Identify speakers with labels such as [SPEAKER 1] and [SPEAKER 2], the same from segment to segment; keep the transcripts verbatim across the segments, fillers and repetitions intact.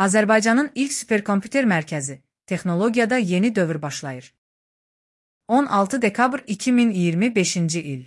[SPEAKER 1] Azərbaycanın ilk superkompüter mərkəzi, texnologiyada yeni dövr başlayır. on altı dekabr iki min iyirmi beşinci il.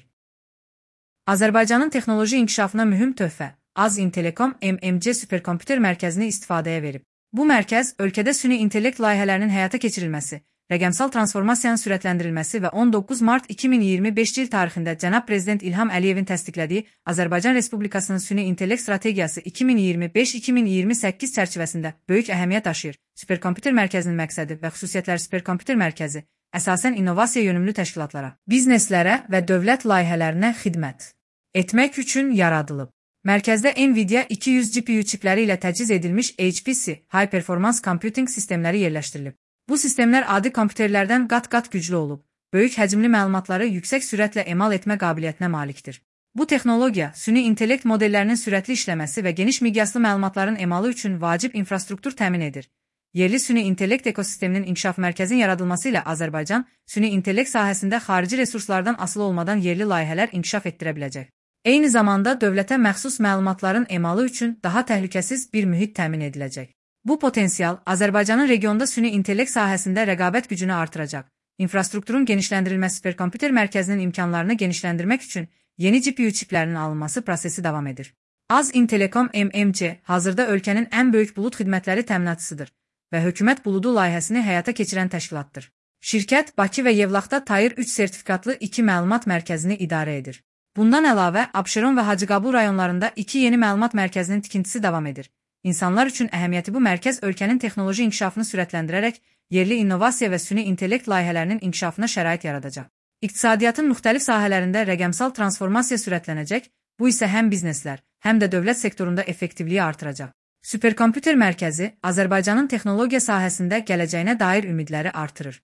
[SPEAKER 1] Azərbaycanın texnoloji inkişafına mühüm töhfə Az İntelekom M M C superkompüter mərkəzini istifadəyə verib. Bu mərkəz, ölkədə süni intellekt layihələrinin həyata keçirilməsi, rəqəmsal transformasiyanın sürətləndirilməsi və on doqquz mart iki min iyirmi beşinci il tarixində cənab Prezident İlham Əliyevin təsdiqlədiyi Azərbaycan Respublikasının süni intellekt strategiyası iki min iyirmi beş iki min iyirmi səkkiz çərçivəsində böyük əhəmiyyət daşıyır. Superkompüter mərkəzinin məqsədi və xüsusiyyətləri Superkompüter mərkəzi əsasən innovasiya yönümlü təşkilatlara, bizneslərə və dövlət layihələrinə xidmət etmək üçün yaradılıb. Mərkəzdə NVIDIA iki yüz G P U çipləri ilə təchiz edilmiş H P C High Performance Computing sistemləri yerləşdirilib. Bu sistemlər adi kompüterlərdən qat-qat güclü olub, böyük həcmli məlumatları yüksək sürətlə emal etmə qabiliyyətinə malikdir. Bu texnologiya, süni intellekt modellərinin sürətli işləməsi və geniş miqyaslı məlumatların emalı üçün vacib infrastruktur təmin edir. Yerli süni intellekt ekosisteminin inkişaf mərkəzinin yaradılması ilə Azərbaycan, süni intellekt sahəsində xarici resurslardan asılı olmadan yerli layihələr inkişaf etdirə biləcək. Eyni zamanda dövlətə məxsus məlumatların emalı üçün daha təhlükəsiz bir mühit təmin ediləcək. Bu potensial Azərbaycanın regionda süni intellekt sahəsində rəqabət gücünü artıracaq. İnfrastrukturun genişləndirilməsi superkompüter mərkəzinin imkanlarını genişləndirmək üçün yeni G P U çiplərinin alınması prosesi davam edir. Az İntelekom M M C hazırda ölkənin ən böyük bulud xidmətləri təminatçısıdır və hökumət buludu layihəsini həyata keçirən təşkilatdır. Şirkət Bakı və Yevlaxda Tayir üç sertifikatlı iki məlumat mərkəzini idarə edir. Bundan əlavə, Abşeron və Hacıqabul rayonlarında iki yeni məlumat mərkəzinin tikintisi davam edir. İnsanlar üçün əhəmiyyəti bu mərkəz ölkənin texnoloji inkişafını sürətləndirərək yerli innovasiya və süni intellekt layihələrinin inkişafına şərait yaradacaq. İqtisadiyyatın müxtəlif sahələrində rəqəmsal transformasiya sürətlənəcək, bu isə həm bizneslər, həm də dövlət sektorunda effektivliyi artıracaq. Superkompüter mərkəzi Azərbaycanın texnologiya sahəsində gələcəyinə dair ümidləri artırır.